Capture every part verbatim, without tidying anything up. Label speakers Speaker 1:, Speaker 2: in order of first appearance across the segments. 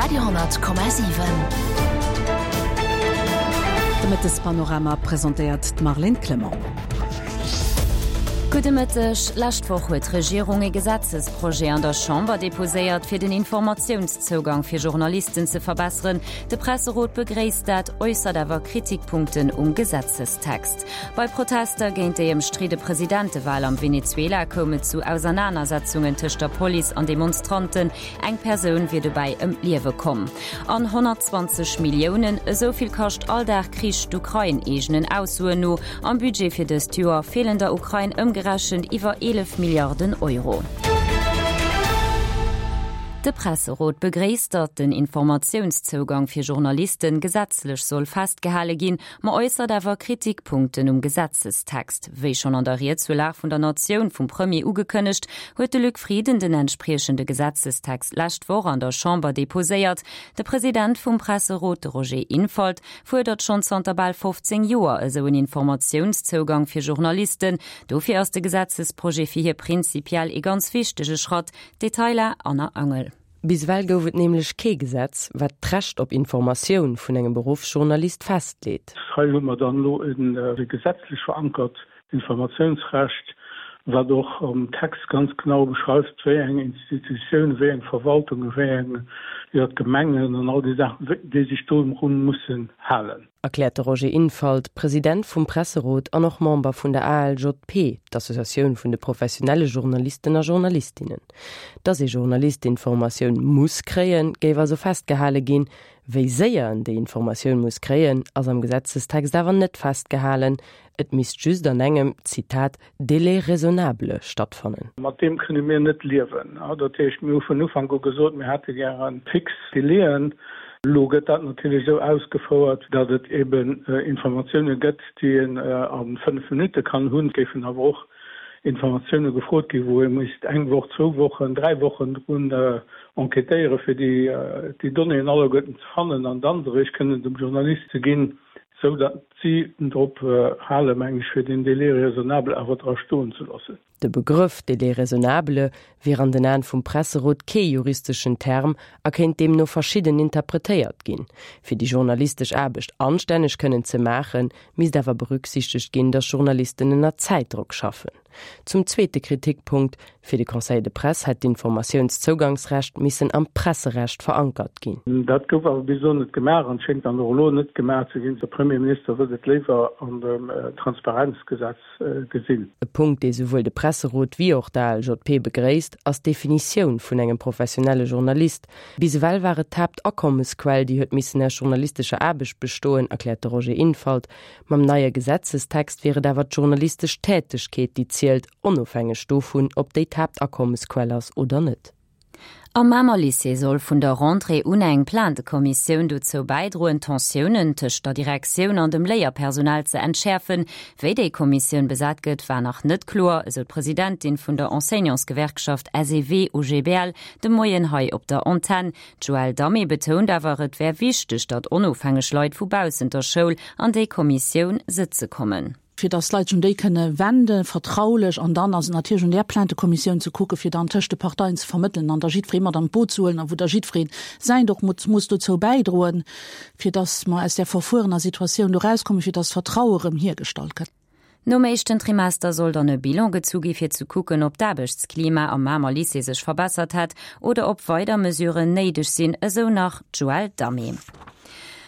Speaker 1: Radio honnert Komma siwen.
Speaker 2: De Mëttespanorama presentéiert d'Marlène Clement.
Speaker 3: Gudde Mëtteg. Lescht Woch huet d'Regierung e Gesetzesprojet an der Chamber deposéiert, fir den Informatiounszougang fir Journalisten ze verbesseren. De Presserot begréisst dat, äussert awer Kritikpunkten um Gesetzestext. Bei Protester géint déi ëmstridde Presidentewal am Venezuela koum et zu Ausernanersetzungen tëscht der Police an Demonstranten. Eng Persoun wier dobäi ëm d'Liewe komm. An honnertzwanzeg Milliounen, esou vill kascht all Dag Krich d'Ukrain eegenen Aussoen no. Am Budget fir dëst Joer feelen der Ukrain ëmgerechent iwwer eelef Milliarden Euro. De Presserot begréisst, datt den Informatiounszougang fir Journalisten gesetzlech soll festgehale ginn, ma äussert awer Kritikpunkten um Gesetzestext. Wéi schonn an der Ried zur Lag vun der Natioun vum Premier ugekënnegt, huet de Luc Frieden den entspriechende Gesetzestext lescht Woch an der Chamber deposéiert. De President vum Presserot, de Roger Infalt, fuerdert schonn zanter bal fofzéng Joer esou en Informatiounszougang fir Journalisten. Dofir ass de Gesetzesprojet fir hie prinzipiell ee ganz wichtege Schratt. Detailer, Anna Angel.
Speaker 4: Bis ewell gouf et nämlech kee Gesetz, wat d'Recht op Informatioun vun engem Beruffsjournalist festleet.
Speaker 5: Hei hu mer dann elo e gesetzlech verankert Informatiounsrecht, wat och am Text ganz genau beschreift, wéi eng Institutioun, wéi eng Verwaltungen, wéi eng, jo, d'Gemengen an all déi Saachen, déi sech dorun mussen halen.
Speaker 4: Erkläert de Roger Infalt, President vum Presserot an och Member vun der A L J P, d'Associatioun vun de professionelle Journalisten a Journalistinnen. Dass ee Journalist Informatioun muss kréien, géif also festgehale ginn. Wéi séier en déi Informatioun muss kréien, ass am Gesetzestext awer net festgehalen. Et misst just an engem, Zitat, délai raisonnable stattfannen.
Speaker 5: Mat deem kënne mir net liewen. Dat heescht, mir hu vun Ufank u gesot, mir hätte gäre fix Délaiën. Elo gëtt dat natierlech esou ausgefouert, datt et eben Informatioune gëtt, déi een a fënnef Minutte kann hunn. Et géifen awer och Informatioune gefrot ginn, wou ee misst eng Woch, zwou Wochen, dräi Wochen drun enquêtéieren, fir déi Donnéeën alleguerten ze fannen an dann se eréischt kënnen dem Journalist ze ginn, esou datt si drop halen, meng ech, fir deen Délai raisonnable awer dra stoen ze loossen.
Speaker 4: De Begrëff Délai raisonnable wier an den Aen vum Presserot kee juristeschen Term a kéint deemno verschidden interpretéiert ginn. Fir déi journalistesch Aarbecht anstänneg kënnen ze maachen, misst awer berücksichtegt ginn, datt Journalisten ënner Zäitdrock schaffen. Zum zweete Kritikpunkt, Fir de Conseil de Presse hätt d'Informatiounszougangsrecht missen am Presserecht verankert ginn.
Speaker 5: Dat gouf awer bis elo net gemaach an schéngt dann och elo net gemaach ze ginn. De Premierminister wëllt et léiwer an dem Transparenzgesetz gesinn.
Speaker 4: E Punkt, dee souwuel de Presserot wéi och d'A L J P begréisst, ass d'Definitioun vun engem professionelle Journalist. Bis ewell war et d'Haaptakommesquell, déi huet missen aus journalistescher Aarbecht bestoen, erkläert de Roger Infalt. Mam neie Gesetzestext wier et awer d'journalistesch Tätegkeet, déi zielt, onofhängeg dovun, ob déi d'Haaptakommesquell ass oder net.
Speaker 3: Am Mamer Lycée soll vun der Rentrée un eng Plaintekommissioun dozou bäidroen, d'Tensiounen tëscht der Direktioun an dem Léierpersonal ze entschäerfen. Wéi déi Kommissioun besat gëtt, war nach net kloer, esou d'Presidentin vun der Enseignantsgewerkschaft S E W U G B L de Moien hei op der Antenn. D'Joëlle Damé betount awer, et wär wichteg, datt onofhängeg Leit vu baussent der Schoul an déi Kommissioun sëtze kommen.
Speaker 6: Fir dass d'Leit sech un déi kënne wenden, vertraulech, an dann ass et natierlech un där Plaintekommissioun ze kucken, fir dann tëscht de Parteien ze vermëttelen an da jiddweree mat an d'Boot ze huelen a wou da jiddweree säint och muss, muss dozou bäidroen, fir dass mer aus där verfuerener Situatioun do erauskommen, fir dass d'Vertraue rëm hiergestallt gëtt.
Speaker 3: Nom éischten Trimester soll dann e Bilan gezu gi fir ze kucken, ob d'Aarbechtsklima am Mamer Lycée sech verbessert hätt oder ob weider Mesuren néideg sinn, esou nach d'Joëlle Damé.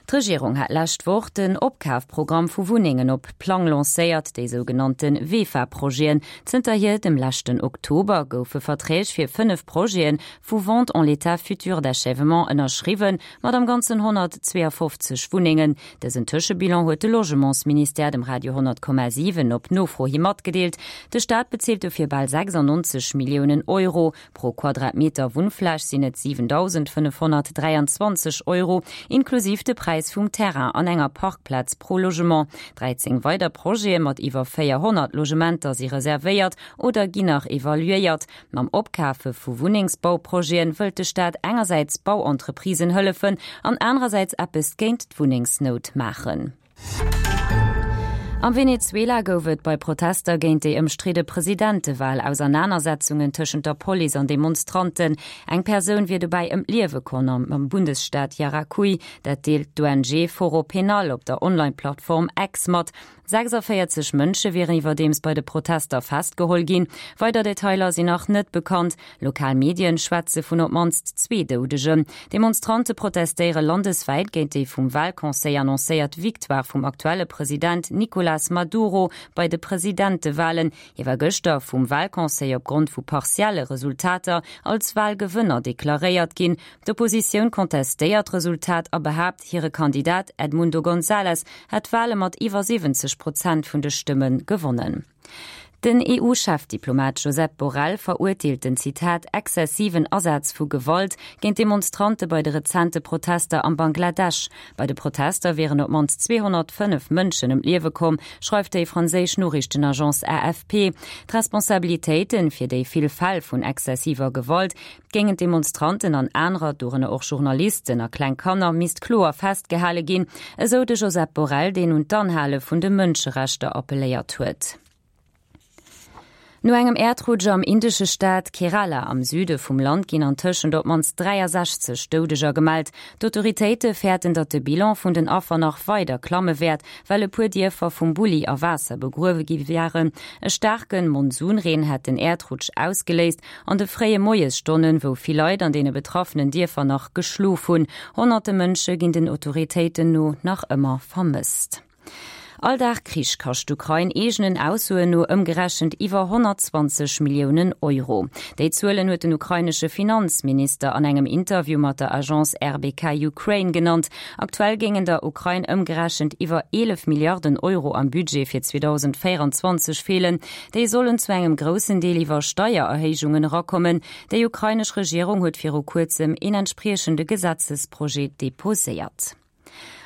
Speaker 3: D'Regierung hat lescht Woch den Opkafprogramm vu Wunnengen op Plang lancéiert, déi sougenannte VEFA-Projeten. Zënterhier dem leschten Oktober goufe Verträg fir fënnef Projete vu Vente en l'état futur d'achèvement ënnerschriwwen, mat am Ganzen honnertzweeafofzeg Wunnengen. Dësen Tëschebilan huet de Logementsministère dem Radio honnert Komma siwen op Nofro hi matgedeelt. De Staat bezilt dofir bal sechsannonzeg Milliounen Euro. Pro Quadratmeter Wunnfläch sinn et siwendausendfënnefhonnertdräianzwanzeg Euro, inklusiv de Präis vum Terrain an enger Parkplaz pro Logement. dräizéng weider Projete mat iwwer véierhonnert Logementer si reservéiert oder ginn nach evaluéiert. Mam Opkafe vu Wunnengsbauprojete wëllt de Staat engersäits Bauentreprisen hëllefen an anerersäits eppes géint d'Wunnengsnout maachen. Am Venezuela gouf et bei Protester géint déi ëmstridde Presidentewal Ausernanersetzungen tëschent der Police an Demonstranten. Eng Persoun wier dobäi ëm d'Liewe komm am Bundesstaat Yaracuy, dat deelt d'ONG Foro Penal op der Online-Plattform X mat. sechsundvéierzeg Mënsche wieren iwwerdeems bei de Protester festgeholl ginn. Weider Detailer sinn nach net bekannt. Lokal Medien schwätze vun op d'mannst zwee Doudegen. Demonstrante protestéiere landeswäit géint déi vum Walconseil annoncéiert Victoire vum aktuelle President Nicolas Maduro bei de Presidentewalen. Hie war gëschter vum Walconseil opgrond vu partielle Resultater als Walgewënner deklaréiert ginn. D'Oppositioun kontestéiert d'Resultat a behaapt, hire Kandidat Edmundo González hätt d'Wale mat iwwer siwwenzeg Prozent vun de Stëmme gewonnen. Den E U-Chefdiplomat Josep Borrell verurteelt den, Zitat, exzessiven Asaz vu Gewalt géint Demonstrante bei de rezente Protester am Bangladesch. Bei de Protester wieren op d'mannst zweehonnertfënnef Mënschen ëm d'Liewe komm, schreift déi franséisch Noriichtenagence A F P. D'Responsabilitéite fir déi vill Fäll vun exzessiver Gewalt géint Demonstranten an anerer, dorënner och Journalisten a kleng Kanner, misst kloer festgehale ginn, esou de Josep Borrell, deen un d'Anhale vun de Mënscherechter appelléiert huet. No engem Äerdrutsch am indesche Staat Kerala am Süde vum Land ginn antëschent op d'mannst dräiasechzeg Doudeger gemellt. D'Autoritéite fäerten, datt de Bilan vun den Affer nach weider klamme wäert, well e puer Dierfer vum Bulli a Waasser begruewe gi waren. E staarke Monsunreen hätt den Äerdrutsch ausgeléist an de fréie Moiesstonnen, wou vill Leit an deene betraffenen Dierfer nach geschlof hunn. Honnerte Mënsche ginn den Autoritéiten no nach ëmmer vermësst. All Dag Krich kascht d'Ukrain eegenen Aussoen no ëmgerechent iwwer honnertzwanzeg Milliounen Euro. Déi Zuelen huet den ukrainesche Finanzminister an engem Interview mat der Agence R B K Ukraine genannt. Aktuell géingen der Ukrain ëmgerechent iwwer eelef Milliarden Euro am Budget fir zweedausendvéierenzwanzeg feelen. Déi sollen zu engem groussen Deel iwwer Steiererhéijungen erakommen. Déi ukrainesch Regierung huet viru kuerzem een entspriechende Gesetzesprojet deposéiert.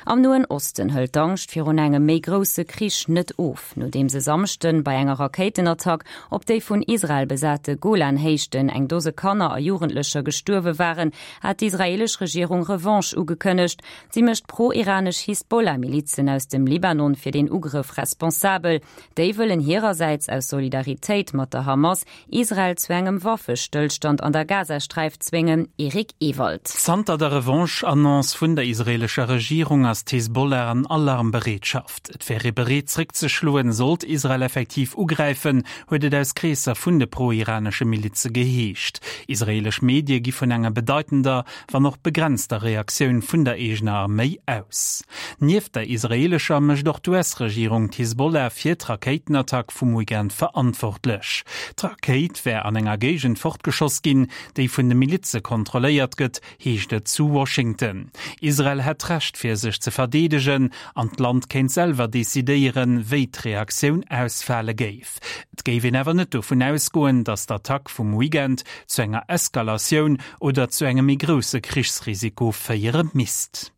Speaker 3: Am Noen Osten hëlt d'Angscht virun engem méi grousse Krich net of. Nodeems e Samschden bei enger Rakéitenattack op déi vun Israel besate Golanhéichten eng Dose Kanner a Jugendlecher gestuerwe waren, hat d'israeelesch Regierung Revanche ugekënnegt. Si mécht pro-iranesch Hisbollah-Milizen aus dem Libanon fir den Ugrëff responsabel. Déi wëllen hirersäits aus Solidaritéit mat der Hamas Israel zu engem Waffestëllstand an der Gazasträif zwéngen. Eric Ewald.
Speaker 1: Zanter der Revanche-Annonce vun der israeelescher Regierung ass d'Hisbollah an Alarmbereetschaft. Et wär ee bereet zréckzeschloen, sollt Israel effektiv ugräifen, huet et aus Kreesser vun de pro-iranesche Milize geheescht. Israeelesch Medie gi vun enger bedeitender, wann och begrenzter Reaktioun vun der eegener Arméi aus. Nieft der israeelescher mécht och d'U S-Regierung d'Hisbollah fir d'Rakéitenattack vum Weekend verantwortlech. D'Rakéit wär an enger Géigend fortgeschoss ginn, déi vun de Milize kontrolléiert gëtt, heescht et zu Washington. Israel hätt d'Recht fir sech ze verdeedegen an d'Land kéint selwer decidéieren, wéi d'Reaktioun ausfale géif. Et géif een awer net dovun ausgoen, datt d'Attack vum Weekend zu enger Eskalatioun oder zu engem méi grousse Krichsrisiko féiere misst.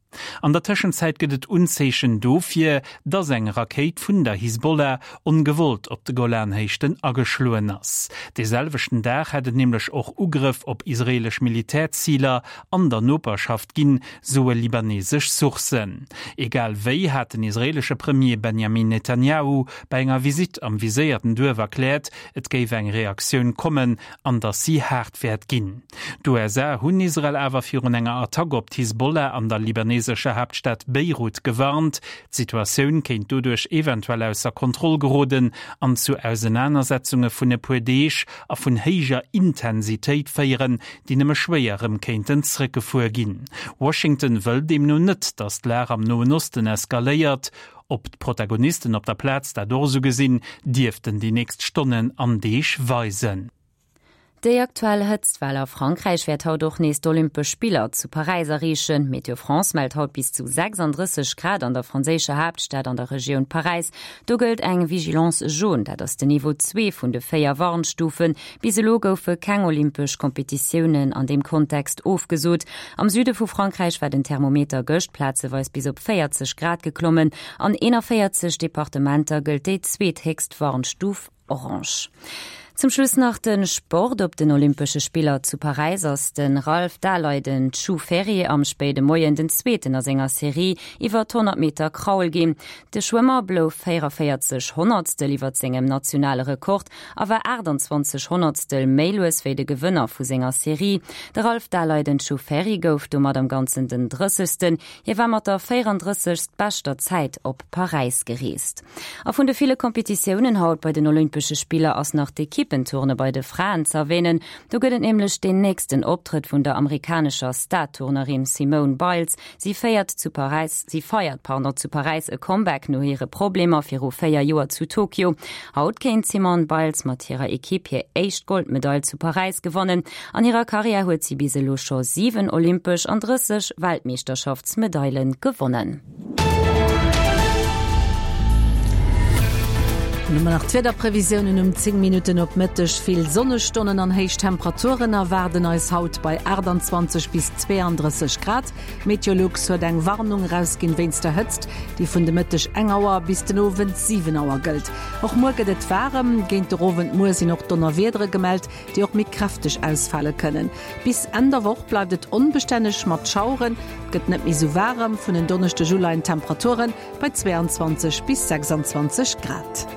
Speaker 1: An der Tëschenzäit gëtt et Unzeechen dofir, datt eng Rakéit vun der Hisbollah ongewollt op de Golanhéichten ageschloen ass. De selwechten Dag hätt et nämlech och Ugrëff op israeelesch Militärziler an der Noperschaft ginn, soe libanesesch Sourcen. Egal wéi hat den israeelesche Premier Benjamin Netanyahu bei enger Visitt am viséierten Duerf erkläert, et géif eng Reaktioun kommen an datt si haart wäert ginn. D'U S A hunn Israel awer virun enger Attack op d'Hisbollah an der libanesescher Haaptstad Beirut gewarnt. D'Situatioun kéint doduerch eventuell ausser Kontroll geroden an zu Ausenanersetzunge vun e puer Deeg a vun héijer Intensitéit féieren, déi nëmme schwéier erëm kéinten zréckgefuer ginn. Washington wëll deemno net, datt d'Lag am Noen Osten eskaléiert. Ob d'Protagonisten op der Plaz dat och esou gesinn, dierften déi nächst Stonnen an Deeg weisen.
Speaker 3: Déi aktuell Hëtztwell a Frankräich wäert haut och nees d'Olympesch Spiller zu Paräis erreechen. Météo France mellt haut bis zu sechsandrësseg Grad an der franséischer Haaptstad an der Regioun Paräis. Do gëllt eng Vigilance jaune, dat ass den Niveau zwee vun de véier Warnstufen. Bis elo goufe keng olympesch Kompetitiounen an deem Kontext ofgesot. Am Süde vu Frankräich war den Thermometer gëscht plazeweis bis op véierzeg Grad geklommen. An eenanvéierzeg Departementer gëllt déi zweethéchst Warnstuf orange. Zum Schluss nach den Sport op den Olympesche Spiller zu Paräis ass den Ralph Daleiden Chu Ferry am spéide Moien den zweeten a senger Serie iwwer d'honnert Meter Kraul ginn. De Schwëmmer blouf véierundavéierzeg Honnertstel iwwer sengem nationale Rekord a war aachtanzwanzeg Honnertstel méi lues wéi de Gewënner vu senger Serie. De Ralph Daleiden Chu Ferry gouf domat am Ganzen den Drëssegsten. Hie war mat der véierunddrëssegst beschter Zäit op Paräis gereest. A vun de ville Kompetitiounen haut bei den Olympesche Spiller ass nach d'Ekippenturne bei de Fraen z'erwänen. Do gëtt et nämlech deen nächsten Optrëtt vun der amerikanescher Star-Turnerin Simone Biles. Si féiert zu Paräis, si feiert, pardon, zu Paräis e Comeback no hire Problemer viru véier Joer zu Tokio. Haut kéint d'Simone Biles mat hirer Ekipp hir éischt Goldmedail zu Paräis gewannen. An hirer Karriär huet si bis elo scho siwen olympesch an drësseg Weltmeeschterschaftsmedaile gewonnen.
Speaker 2: Dann hu mer nach d'Wiederprevisiounen um zéng Minutten op Mëtteg. Vill Sonnestonnen an héich Temperaturen erwaarden eis haut bei aachtanzwanzeg bis zweeandrësseg Grad. Meteolux huet eng Warnung erausginn wéinst der Hëtzt, déi vun de Mëtteg eng Auer bis den Owend siwen Auer gëllt. Och muer gëtt et waarem. Géint de Owend muer sinn och Donnerwiedere gemellt, déi och méi kräfteg ausfale kënnen. Bis Enn der Woch bleift et onbestänneg mat Schaueren. Et gëtt net méi sou waarem, vun en Donneschdeg u leien d'Temperature bei zweeanzwanzeg bis sechsanzwanzeg Grad.